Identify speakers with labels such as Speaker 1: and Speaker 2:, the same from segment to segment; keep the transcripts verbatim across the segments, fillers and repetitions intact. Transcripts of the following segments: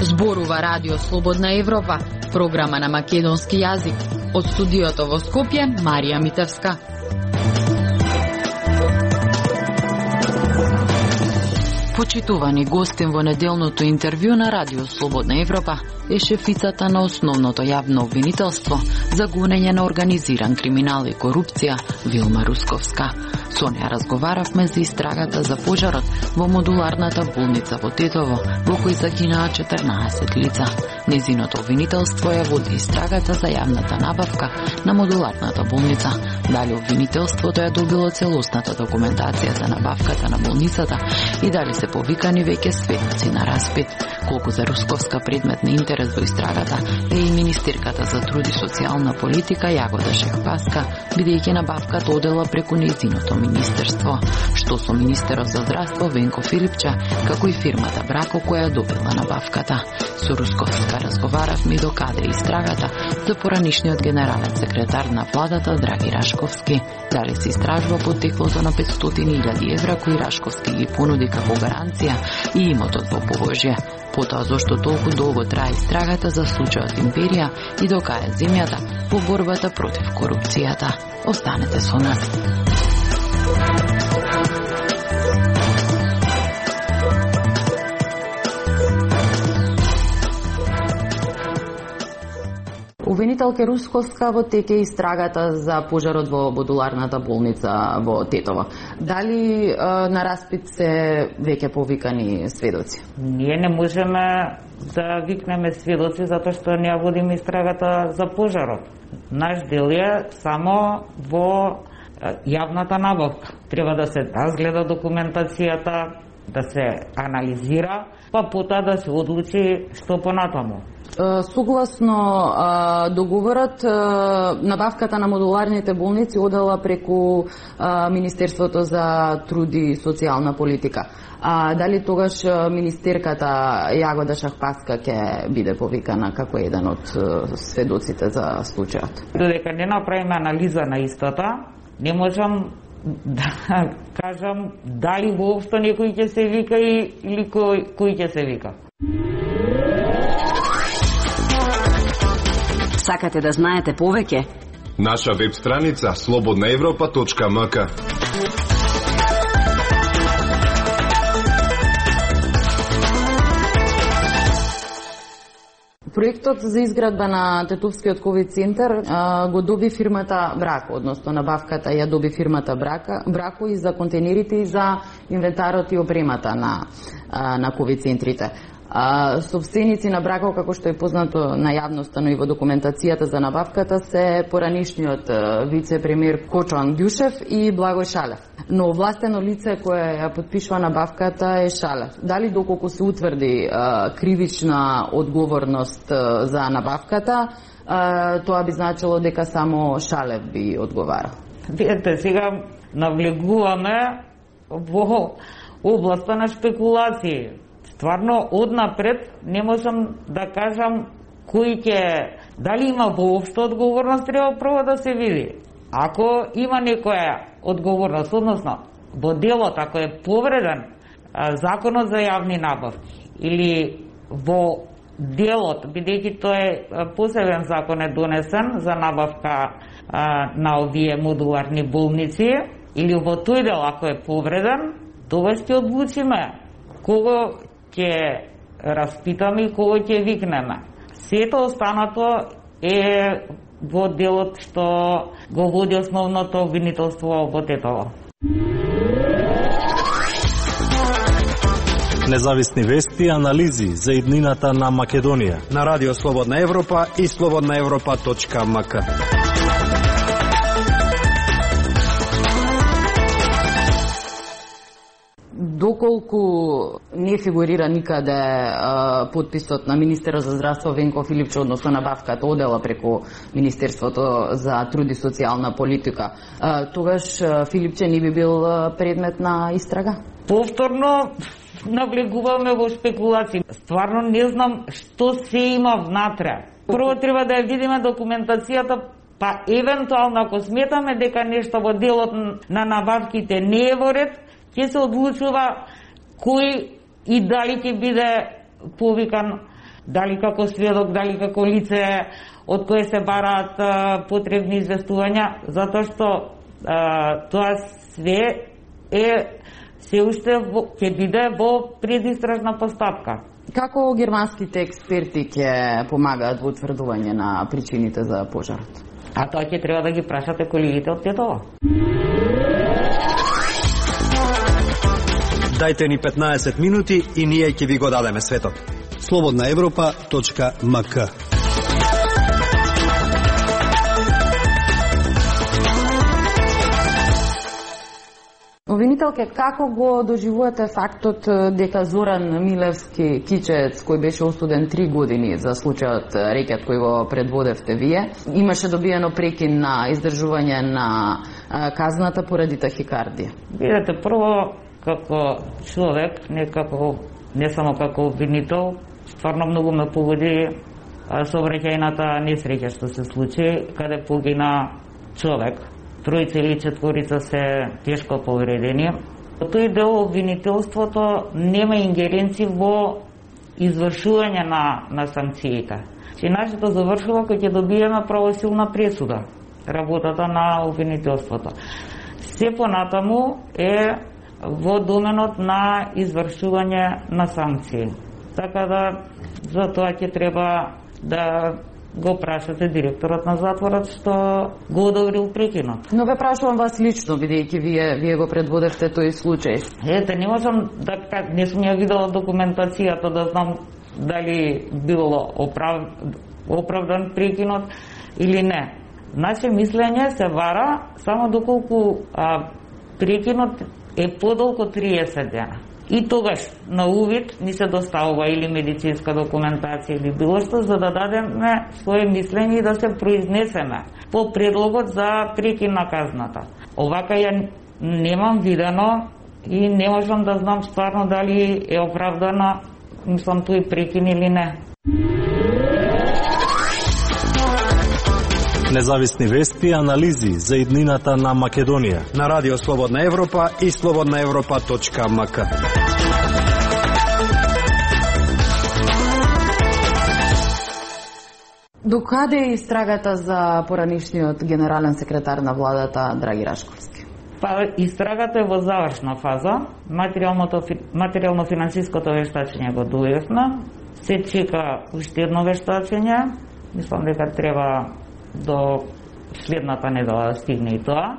Speaker 1: Зборува Радио Слободна Европа, програма на македонски јазик. Од студиото во Скопје, Марија Митевска. Почитувани гостин во неделното интервју на Радио Слободна Европа е шефицата на основното јавно обвинителство за гонење на организиран криминал и корупција Вилма Русковска. Со неја разговаравме за истрагата за пожарот во модуларната болница во Тетово, во кој загинаа четрнаесет лица. Незиното обвинителство ја води истрагата за јавната набавка на модуларната болница. Дали обвинителството ја добило целосната документација за набавката на болницата и дали се повикани веќе сведоци на распит. Колку за Русковска предмет на интерес во истрагата е и министерката за труд и социјална политика Јагода Шехпаска, бидејќи набавката одела преку нејзиното министерство. Што со министерот за здравство Венко Филипче, како и фирмата Брако која добила набавката. Со Русковска разговаравме до каде е истрагата за поранишниот генерален секретар на владата Драги Рашковски. Дали се истражува потеклото на петстотини илјади евра кои Рашковски ги понуди како гаранција и имотот во Поволжје. Потоа зошто толку долго трае истрагата за случајот Империја и до кај земјата во борбата против корупцијата. Останете со нас.
Speaker 2: Обвинителка Русковска во тек е истрагата за пожарот во модуларната болница во Тетово. Дали е, на распит се веќе повикани сведоци?
Speaker 3: Ние не можеме да викнеме сведоци затоа што не ја водиме истрагата за пожарот. Наш дел е само во јавната набавка. Треба да се разгледа документацијата, да се анализира, па потоа да се одлучи што понатаму.
Speaker 2: Согласно договорот, набавката на модуларните болници одела преку Министерството за труд и социјална политика. А дали тогаш министерката Јагода Шахпаска ќе биде повикана како еден од сведоците за случајот?
Speaker 3: Додека не направиме анализа на истата, не можам да кажам дали воопшто некој ќе се вика или кој, кој ќе се вика.
Speaker 4: Сакате да знаете повеќе?
Speaker 5: Наша веб страница слободна европа точка ем ка.
Speaker 2: Проектот за изградба на Тетовскиот ковид центар а, го доби фирмата Брако, односно набавката ја доби фирмата Брака, Брако и за контейнерите и за инвентарот и опремата на, а, на ковид центрите. А, собственици на Брако, како што е познато на јавноста, но и во документацијата за набавката, се поранишниот вице-премиер Кочо Ангјушев и Благој Шалев. Но властено лице кое ја подпишува набавката е Шалев. Дали доколку се утврди а, кривична одговорност а, за набавката, а, тоа би значило дека само Шалев би одговарал?
Speaker 3: Видете, сега навлегуваме во областа на спекулации. Стварно, однапред не можам да кажам кој ќе, дали има воопшто одговорност, треба прво да се види. Ако има некоја одговорност, односно во делот, ако е повреден а, законот за јавни набавки или во делот, бидејќи тој е посебен закон е донесен за набавка а, на овие модуларни болници, или во тој дел ако е повреден, тоа ќе одлучиме кого ќе распитаме и кого ќе викнеме. Сето останато е во делот што го води основното обвинителство во Тетово.
Speaker 6: Независни вести и анализи за иднината на Македонија
Speaker 7: на Радио Слободна Европа и слободна европа точка ем ка.
Speaker 2: Доколку не фигурира никаде а, подписот на министерот за здравство Венко Филипче, односно набавката одела преку Министерството за труд и социјална политика, а, тогаш а, Филипче не би бил а, предмет на истрага?
Speaker 3: Повторно навлегуваме во спекулации. Стварно не знам што се има внатре. Прво треба да ја видиме документацијата Па евентуално ако сметаме дека нешто во делот на набавките не е во ред, ќе се одлучува кој и дали ќе биде повикан, дали како сведок, дали како лице од кое се бараат а, потребни известувања, затоа што а, тоа све е се уште ќе биде во предистражна постапка.
Speaker 2: Како германските експерти ќе помагаат во утврдување на причините за пожарот?
Speaker 3: А тоа ќе треба да ги прашате колегите од Тетово.
Speaker 7: Дајте ни петнаесет минути и ние ќе ви го дадеме светот. слободна европа точка ем ка.
Speaker 2: Обвинителке, како го доживувате фактот дека Зоран Милевски Кичец, кој беше осуден три години за случајот рекет кој го предводевте вие, имаше добиено прекин на издржување на казната поради тахикардија?
Speaker 3: Видете, прво, како човек, не, како, не само како обвинител, стварно многу ме погоди сообраќајната несреќа што се случи, каде погина човек. Тројца или четворица се тешко повредени. Тој дел обвинителството нема ингеренци во извршување на, на санкциите. Че нашето завршува кога ќе добиеме правосилна пресуда, работата на обвинителството. Се понатаму е во доменот на извршување на санкции. Така да, за тоа ќе треба да го прашате директорот на затворот што го одобрил прекинот.
Speaker 2: Но ве прашувам вас лично, бидејќи вие вие го предводевте тој случај.
Speaker 3: Ете, не можам да не сум ја видела документацијата да знам дали било оправ... оправдан прекинот или не. Наше мислење се вара само доколку а, прекинот е подолго од триесет дена. И тогаш на увид ни се доставува или медицинска документација или било што за да дадеме свое мислење и да се произнесеме по предлогот за прекин на казната. Овака ја немам видено и не можам да знам стварно дали е оправдана, мислам, тој прекин или не.
Speaker 6: Независни вести и анализи за иднината на Македонија
Speaker 7: На Радио Слободна Европа и слободна европа точка ем ка.
Speaker 2: Докаде е истрагата за поранишниот генерален секретар на владата Драги Рашковски?
Speaker 3: Па, истрагата е во завршна фаза. Материјално-финансиското вештачење го дојавме. Се чека уште едно вештачење. Мислам дека треба до следната недела да стигне и тоа.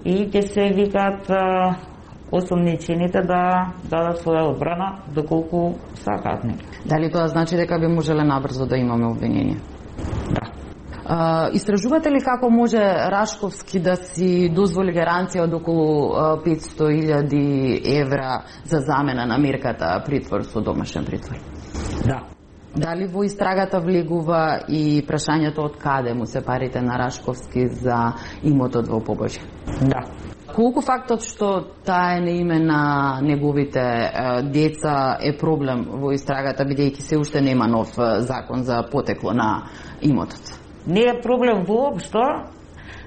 Speaker 3: И ќе се викаат осумничените да дадат своја одбрана доколку сакаат нека.
Speaker 2: Дали тоа значи дека би можеле набрзо да имаме обвинение?
Speaker 3: Да.
Speaker 2: Uh, истражувате ли како може Рашковски да си дозволи гаранција од околу петсто илјади евра за замена на мерката притвор со домашен притвор?
Speaker 3: Да.
Speaker 2: Дали во истрагата влегува и прашањето од каде му се парите на Рашковски за имотот во Побожје?
Speaker 3: Да.
Speaker 2: Колку фактот што таа е на име на неговите е, деца е проблем во истрагата, бидејќи се уште нема нов закон за потекло на имотот?
Speaker 3: Не е проблем воопшто,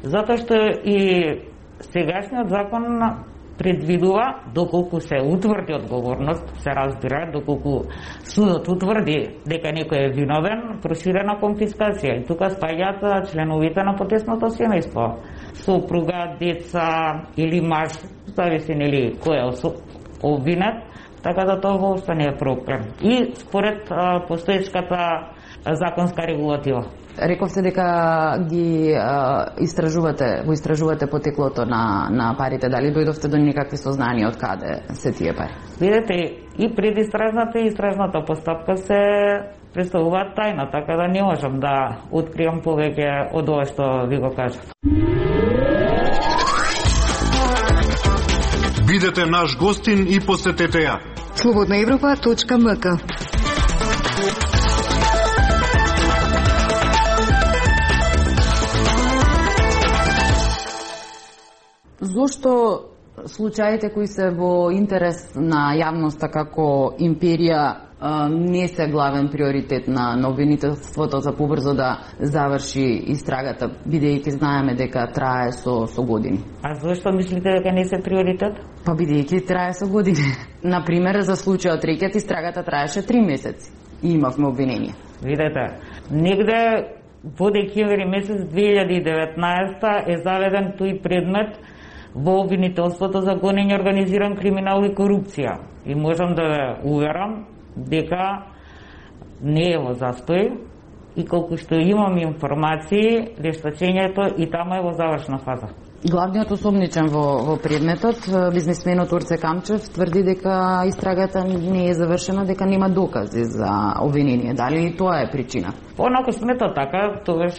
Speaker 3: затоа што и сегашниот закон предвидува, доколку се утврди одговорност, се разбира, доколку судот утврди дека некој е виновен, проширена конфискација. И тука спаѓаат членовите на потесното семејство. Сопруга, деца или маж, зависи нели кој е обвинет, така да тоа воопшто не е проблем. И според а, постоечката законска регулатива.
Speaker 2: Рековте дека ги а, истражувате, го истражувате потеклото на, на парите. Дали дојдовте до никакви сознанија од каде се тие пари?
Speaker 3: Видете, и предистражната и истражната постапка се представуваат тајна, така да не можам да откриам повеќе од ова што ви го кажав.
Speaker 5: Бидете наш гостин и посетете ја.
Speaker 8: слободна европа точка ем ка.
Speaker 2: Зошто случаите кои се во интерес на јавноста како империја не се главен приоритет на, на обвинителството за побрзо да заврши истрагата, бидејќи знаеме дека трае со, со години.
Speaker 3: А зашто мислите дека не се приоритет?
Speaker 2: Па бидејќи трае со години. Например, за случајот Рекет истрагата траеше три месеци и имавме обвинение.
Speaker 3: Видете, негде во декември месец две илјади и деветнаесета е заведен тој предмет во обвинителството за гонење организиран криминал и корупција. И можам да ве уверам дека не е во застој и колку што имам информации, вештачењето и тamo е во завршна фаза.
Speaker 2: Главниот осомничен во, во предметот, бизнисменот Орце Камчев, тврди дека истрагата не е завршена, дека нема докази за обвинение. Дали и тоа е причина?
Speaker 3: Понако смета така, тогаш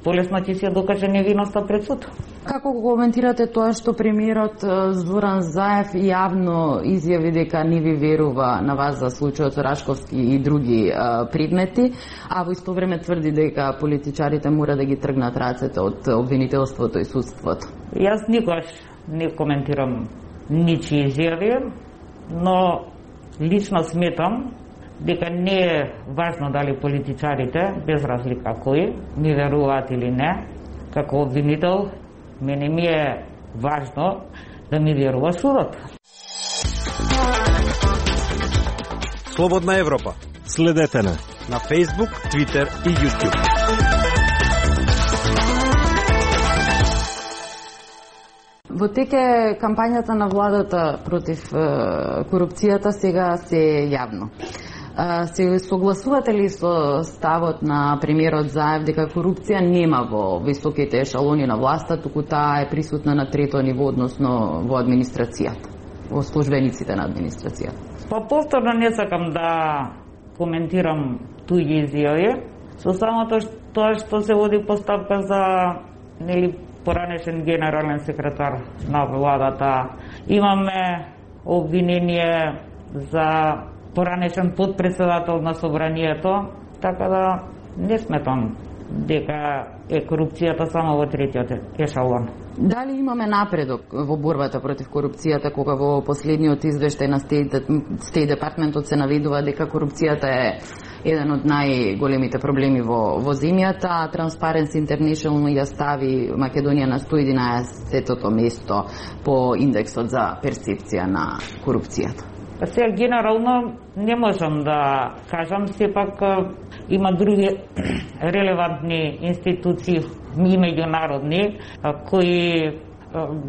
Speaker 3: полесно ќе се докаже невиноста пред суд.
Speaker 2: Како го коментирате тоа што премиерот Зоран Заев јавно изјави дека не ви верува на вас за случајот со Рашковски и други а, предмети, а во исто време тврди дека политичарите мора да ги тргнат рацете од обвинителството и судството?
Speaker 3: Јас никогаш не коментирам ничии изјави, но лично сметам дека не е важно дали политичарите, без разлика кои, ми веруваат или не, како обвинител, мене ми е важно да ми верува судот.
Speaker 7: Слободна Европа.
Speaker 6: Следете на
Speaker 7: на Facebook, Twitter и YouTube.
Speaker 2: Во теке кампањата на владата против е, корупцијата сега се јавно. Се согласувате ли со ставот на премиерот Заев дека корупција нема во високите ешалони на власта, туку таа е присутна на трето ниво, односно во администрацијата, во службениците на администрацијата?
Speaker 3: Па повторно не сакам да коментирам туѓи изјави, со самото тоа што се води постапка за нели поранешен генерален секретар на владата. Имаме обвинение за поранешен подпредседател на собранието, така да не сметам дека е корупцијата само во третиот ешалон.
Speaker 2: Дали имаме напредок во борбата против корупцијата, кога во последниот извештај на Стејт департментот се наведува дека корупцијата е еден од најголемите проблеми во, во земјата. Transparency International ја стави Македонија на сто и единаесетото место по индексот за перцепција на корупцијата?
Speaker 3: Сега генерално не можам да кажам, сепак има други релевантни институции и меѓународни кои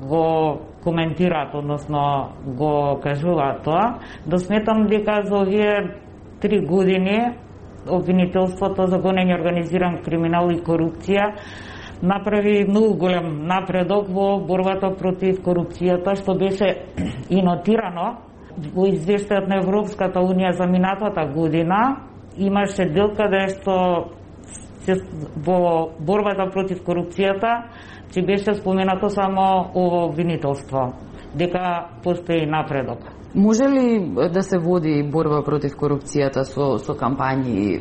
Speaker 3: го коментираат, односно го кажуваат тоа. Да сметам дека за овие три години обвинителството за гонење организиран криминал и корупција направи многу голем напредок во борбата против корупцијата, што беше и нотирано во извештајот на Европската Унија за минатата година. Имаше дел каде што се, во борбата против корупцијата че беше споменато само ово обвинителство, дека постои напредок.
Speaker 2: Може ли да се води борба против корупцијата со, со кампањи е,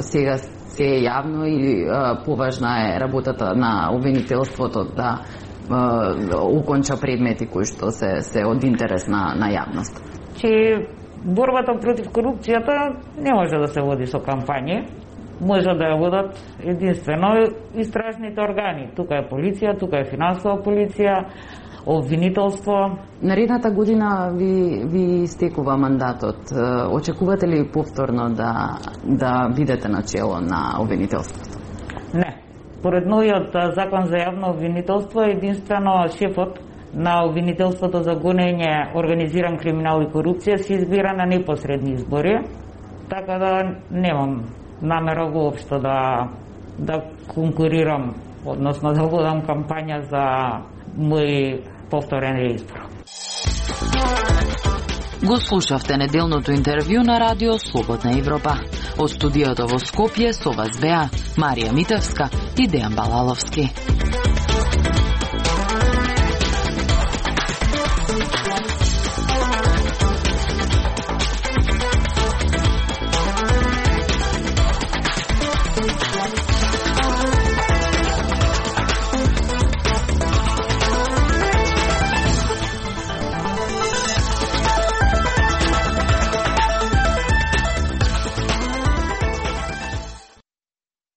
Speaker 2: сега се е јавно или е, поважна е работата на обвинителството да е, уконча предмети кои што се, се од интерес на, на јавност?
Speaker 3: Че борбата против корупцијата не може да се води со кампањи, може да ја водат единствено истражните органи. Тука е полиција, тука е финансова полиција, обвинителство. Наредната
Speaker 2: година ви, ви стекува мандатот. Очекувате ли повторно да, да бидете начело на обвинителството?
Speaker 3: Не. Поред новиот закон за јавно обвинителство, единствено шефот на обвинителството за гонење организиран криминал и корупција се избира на непосредни избори, така да немам намера воопшто да, да конкурирам, односно да водам кампања за мој повторен реизбор.
Speaker 1: Го слушавте неделното интервју на Радио Слободна Европа. Од студиото во Скопје со вас беа Марија Митевска и Дејан Балаловски.